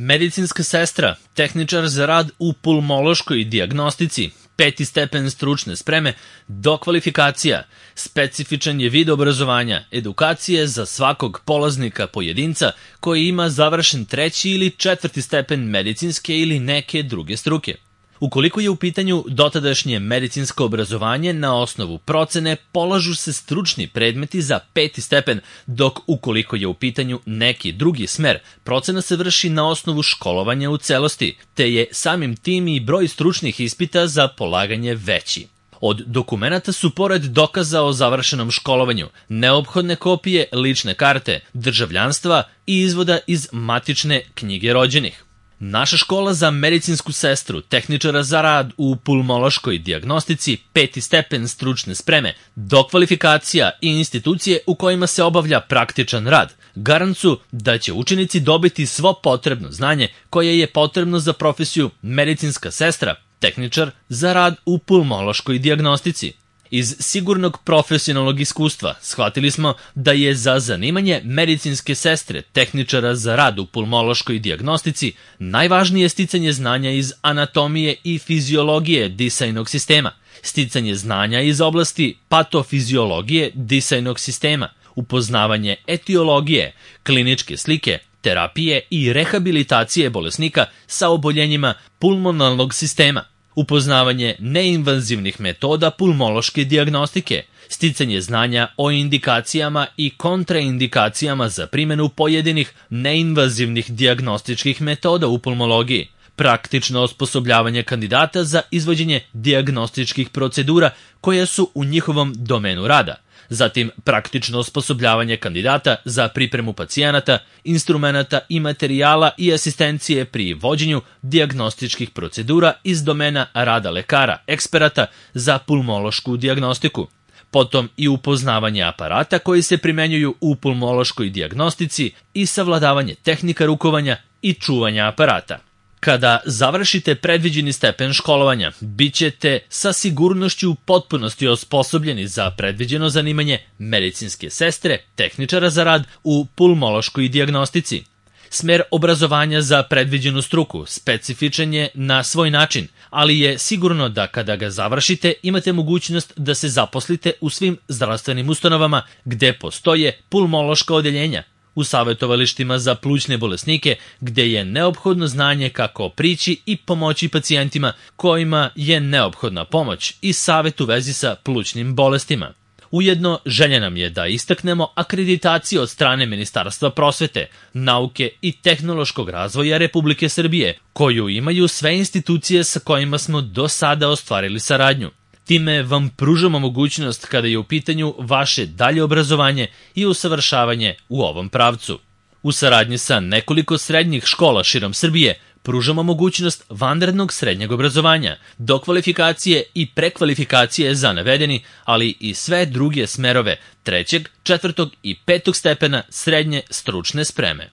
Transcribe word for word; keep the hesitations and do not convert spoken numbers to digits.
Medicinska sestra, tehničar za rad u pulmološkoj dijagnostici, peti stepen stručne spreme, dokvalifikacija, specifičan je vid obrazovanja, edukacije za svakog polaznika pojedinca koji ima završen treći ili četvrti stepen medicinske ili neke druge struke. Ukoliko je u pitanju dotadašnje medicinsko obrazovanje, na osnovu procene polažu se stručni predmeti za peti stepen, dok ukoliko je u pitanju neki drugi smer, procena se vrši na osnovu školovanja u celosti, te je samim tim i broj stručnih ispita za polaganje veći. Od dokumenata su, pored dokaza o završenom školovanju, neophodne kopije lične karte, državljanstva i izvoda iz matične knjige rođenih. Naša škola za medicinsku sestru, tehničara za rad u pulmološkoj dijagnostici, peti stepen stručne spreme, dokvalifikacija i institucije u kojima se obavlja praktičan rad, garant su da će učenici dobiti svo potrebno znanje koje je potrebno za profesiju medicinska sestra, tehničar za rad u pulmološkoj dijagnostici. Iz sigurnog profesionalnog iskustva shvatili smo da je za zanimanje medicinske sestre, tehničara za rad u pulmološkoj dijagnostici, najvažnije sticanje znanja iz anatomije i fiziologije disajnog sistema, sticanje znanja iz oblasti patofiziologije disajnog sistema, upoznavanje etiologije, kliničke slike, terapije i rehabilitacije bolesnika sa oboljenjima pulmonalnog sistema, upoznavanje neinvazivnih metoda pulmološke dijagnostike, sticanje znanja o indikacijama i kontraindikacijama za primjenu pojedinih neinvazivnih dijagnostičkih metoda u pulmologiji, praktično osposobljavanje kandidata za izvođenje dijagnostičkih procedura koje su u njihovom domenu rada, zatim praktično osposobljavanje kandidata za pripremu pacijenata, instrumenata i materijala i asistencije pri vođenju dijagnostičkih procedura iz domena rada lekara, eksperata za pulmološku dijagnostiku. Potom i upoznavanje aparata koji se primenjuju u pulmološkoj dijagnostici i savladavanje tehnika rukovanja i čuvanja aparata. Kada završite predviđeni stepen školovanja, bit ćete sa sigurnošću u potpunosti osposobljeni za predviđeno zanimanje medicinske sestre, tehničara za rad u pulmološkoj dijagnostici. Smer obrazovanja za predviđenu struku specifičan je na svoj način, ali je sigurno da kada ga završite imate mogućnost da se zaposlite u svim zdravstvenim ustanovama gde postoje pulmološka odeljenja, u savjetovalištima za plućne bolesnike gde je neophodno znanje kako prići i pomoći pacijentima kojima je neophodna pomoć i savjet u vezi sa plućnim bolestima. Ujedno, želja nam je da istaknemo akreditaciju od strane Ministarstva prosvete, nauke i tehnološkog razvoja Republike Srbije, koju imaju sve institucije sa kojima smo do sada ostvarili saradnju. Time vam pružamo mogućnost kada je u pitanju vaše dalje obrazovanje i usavršavanje u ovom pravcu. U saradnji sa nekoliko srednjih škola širom Srbije pružamo mogućnost vanrednog srednjeg obrazovanja, dokvalifikacije i prekvalifikacije za navedeni, ali i sve druge smerove trećeg, četvrtog i petog stepena srednje stručne spreme.